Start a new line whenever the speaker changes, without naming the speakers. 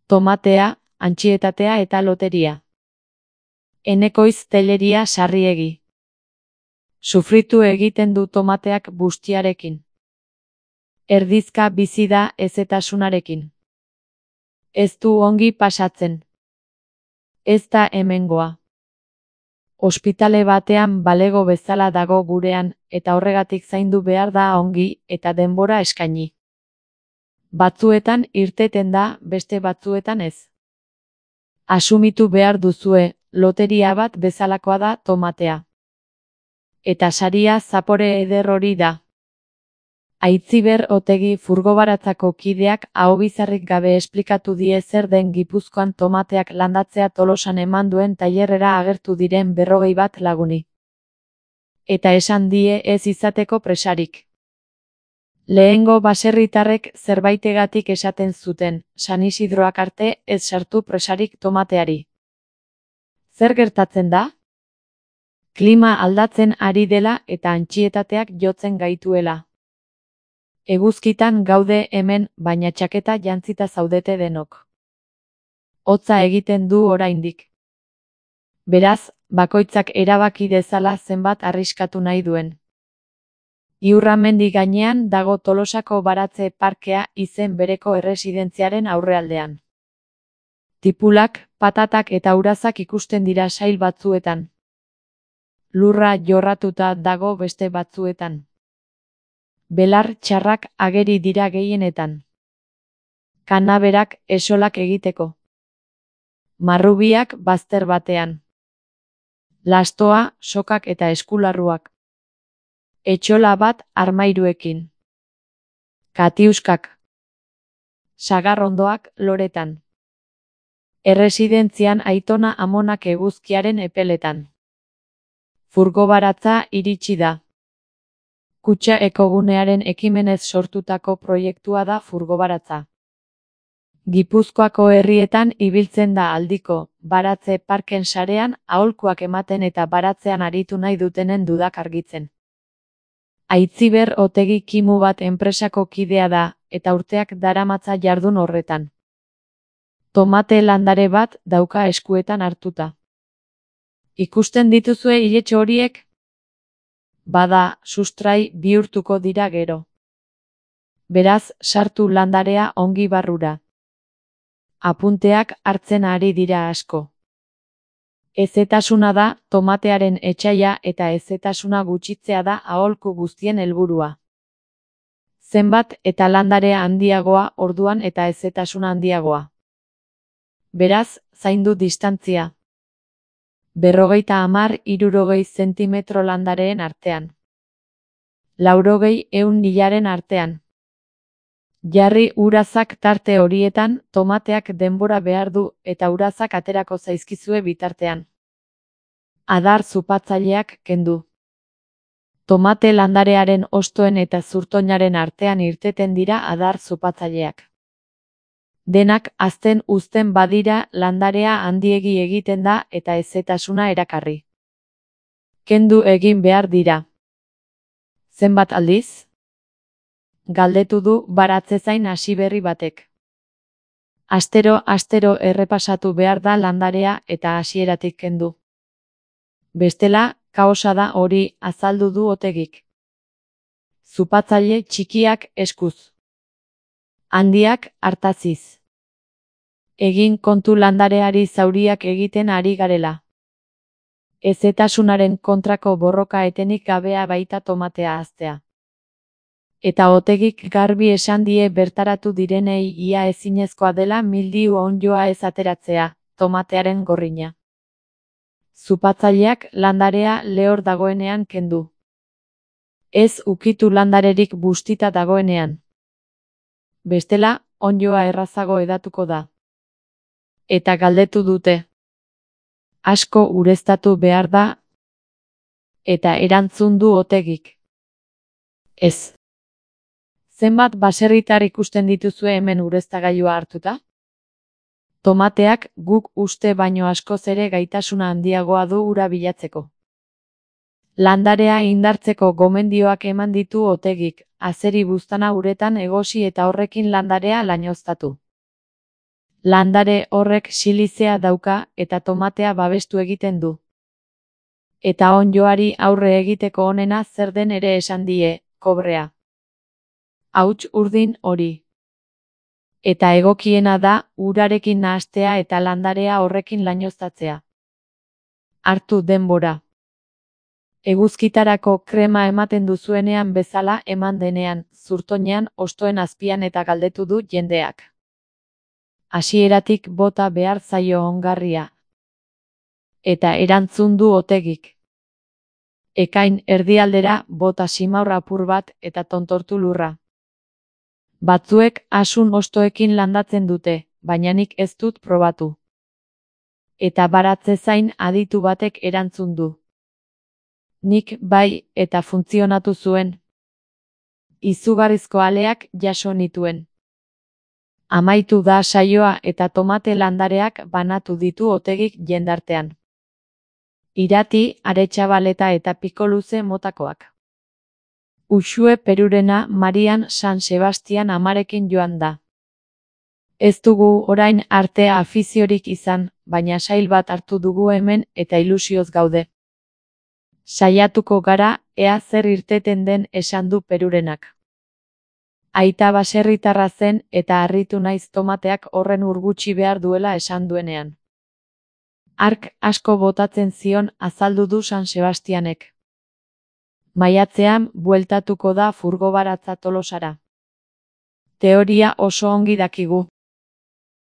Tomatea, antsietatea eta loteria. Enekoiz Telleria Sarriegi. Sufritu egiten du tomateak bustiarekin. Erdizka bizi da hezetasunarekin. Ez du ongi pasatzen. Ez da hemengoa. Ospitale batean balego bezala dago gurean, eta horregatik zaindu behar da ongi eta denbora eskaini. Batzuetan irteten da, beste batzuetan ez. Asumitu behar duzue, loteria bat bezalakoa da tomatea. Eta saria zapore eder hori da. Aitziber Otegi Furgobaratzako kideak ahobizarrik gabe esplikatu die zer den Gipuzkoan tomateak landatzea Tolosan eman duen tailerrera agertu diren 21 laguni. Eta esan die ez izateko presarik. Lehengo baserritarrek zerbaitegatik esaten zuten, San Isidroak arte ez sartu presarik tomateari. Zer gertatzen da? Klima aldatzen ari dela eta antsietateak jotzen gaituela. Eguzkitan gaude hemen, baina txaketa jantzita zaudete denok. Hotza egiten du oraindik. Beraz, bakoitzak erabaki dezala zenbat arriskatu nahi duen. Iurramendi gainean dago Tolosako Baratze Parkea izen bereko erresidentziaren aurrealdean. Tipulak, patatak eta urazak ikusten dira sail batzuetan. Lurra jorratuta dago beste batzuetan. Belar txarrak ageri dira gehienetan. Kanaberak esolak egiteko. Marrubiak bazter batean. Lastoa, sokak eta eskularruak. Etxola bat armairuekin. Katiuskak. Sagarrondoak loretan. Erresidentzian aitona amonak eguzkiaren epeletan. Furgobaratza iritsi da. Kutxa ekogunearen ekimenez sortutako proiektua da Furgobaratza. Gipuzkoako herrietan ibiltzen da aldiko, baratze parken sarean aholkuak ematen eta baratzean aritu nahi dutenen dudak argitzen. Aitziber Otegi Kimu bat enpresako kidea da, eta urteak daramatza jardun horretan. Tomate landare bat dauka eskuetan hartuta. Ikusten dituzue iletxo horiek? Bada, sustrai bihurtuko dira gero. Beraz, sartu landarea ongi barrura. Apunteak hartzen ari dira asko. Hezetasuna da tomatearen etsaia eta hezetasuna gutxitzea da aholku guztien helburua. Zenbat eta landarea handiagoa orduan eta hezetasuna handiagoa. Beraz, zaindu distantzia. 50–60 zentimetro landareen artean. 80–100 artean. Jarri urazak tarte horietan, tomateak denbora behar du eta urazak aterako zaizkizue bitartean. Adar zupatzaileak kendu. Tomate landarearen hostoen eta zurtoinaren artean irteten dira adar zupatzaileak. Denak hazten uzten badira landarea handiegi egiten da eta hezetasuna erakarri. Kendu egin behar dira. Zenbat aldiz? Galdetu du baratzezain hasiberri batek. Astero errepasatu behar da landarea eta hasieratik kendu. Bestela, kaosa da hori, azaldu du Otegik. Zupatzaile txikiak eskuz. Handiak hartaziz. Egin kontu landareari zauriak egiten ari garela. Hezetasunaren kontrako borroka etenik gabea baita tomatea haztea. Eta Otegik garbi esan die bertaratu direnei ia ezinezkoa dela mildiu onddoa ez ateratzea, tomatearen gorrina. Zupatzaileak landarea lehor dagoenean kendu. Ez ukitu landarerik bustita dagoenean. Bestela, onddoa errazago edatuko da. Eta galdetu dute. Asko ureztatu behar da. Eta erantzun du Otegik. Ez. Zenbat baserritar ikusten dituzue hemen ureztagailua hartuta? Tomateak guk uste baino askoz ere gaitasuna handiagoa du ura bilatzeko. Landarea indartzeko gomendioak eman ditu Otegik, azeri buztana uretan egosi eta horrekin landarea lainoztatu. Landare horrek silizea dauka eta tomatea babestu egiten du. Eta onddoari aurre egiteko onena zer den ere esan die, kobrea. Hauts urdin hori. Eta egokiena da, urarekin nahastea eta landarea horrekin lainoztatzea. Hartu denbora. Eguzkitarako krema ematen duzuenean bezala eman denean, zurtoinean, hostoen azpian eta galdetu du jendeak. Hasieratik bota behar zaio ongarria. Eta erantzun du Otegik. Ekain erdialdera bota simaur apur bat eta tontortu lurra. Batzuek asun hostoekin landatzen dute, baina nik ez dut probatu. Eta baratze zain aditu batek erantzun du. Nik bai eta funtzionatu zuen. Izugarrizko aleak jaso nituen. Amaitu da saioa eta tomate landareak banatu ditu Otegik jendartean. Irati, aretxabaleta eta pikoluze motakoak. Uxue Perurena Marian San Sebastian amarekin joan da. Ez dugu orain artea afiziorik izan, baina sail bat hartu dugu hemen eta ilusioz gaude. Saiatuko gara, ea zer irteten den esan du Perurenak. Aita baserritarra zen eta harritu naiz tomateak horren urgutxi behar duela esan duenean. Hark asko botatzen zion azaldu du San Sebastianek. Maiatzean bueltatuko da furgo baratza Tolosara. Teoria oso ongi dakigu.